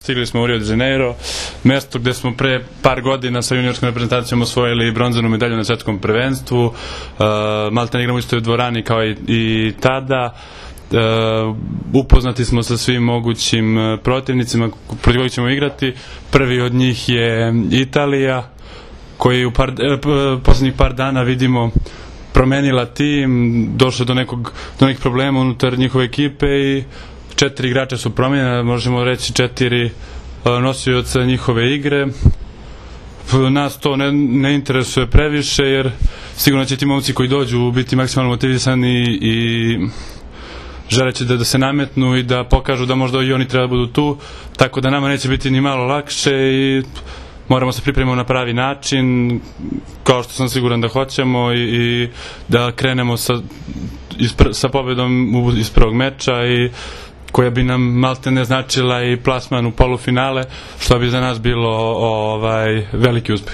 Stigli smo u Rio de Janeiro, mesto gde smo pre par godina sa juniorskom reprezentacijom osvojili bronzanu medalju na svetskom prvenstvu. Maltene igramo isto u dvorani kao i tada. Upoznati smo sa svim mogućim protivnicima protiv kojih ćemo igrati. Prvi od njih je Italija, koji u poslednjih par dana vidimo promenila tim, došlo do nekih problema unutar njihove ekipe i 4 igrača su promenjena, možemo reći 4 nosioca njihove igre. Nas to ne interesuje previše, jer sigurno će ti momci koji dođu biti maksimalno motivisani i želeći da se nametnu i da pokažu da možda i oni treba budu tu, tako da nama neće biti ni malo lakše i moramo se pripremiti na pravi način, kao što sam siguran da hoćemo, i da krenemo sa pobedom iz prvog meča, i koja bi nam maltene značila i plasman u polufinale, što bi za nas bilo veliki uspeh.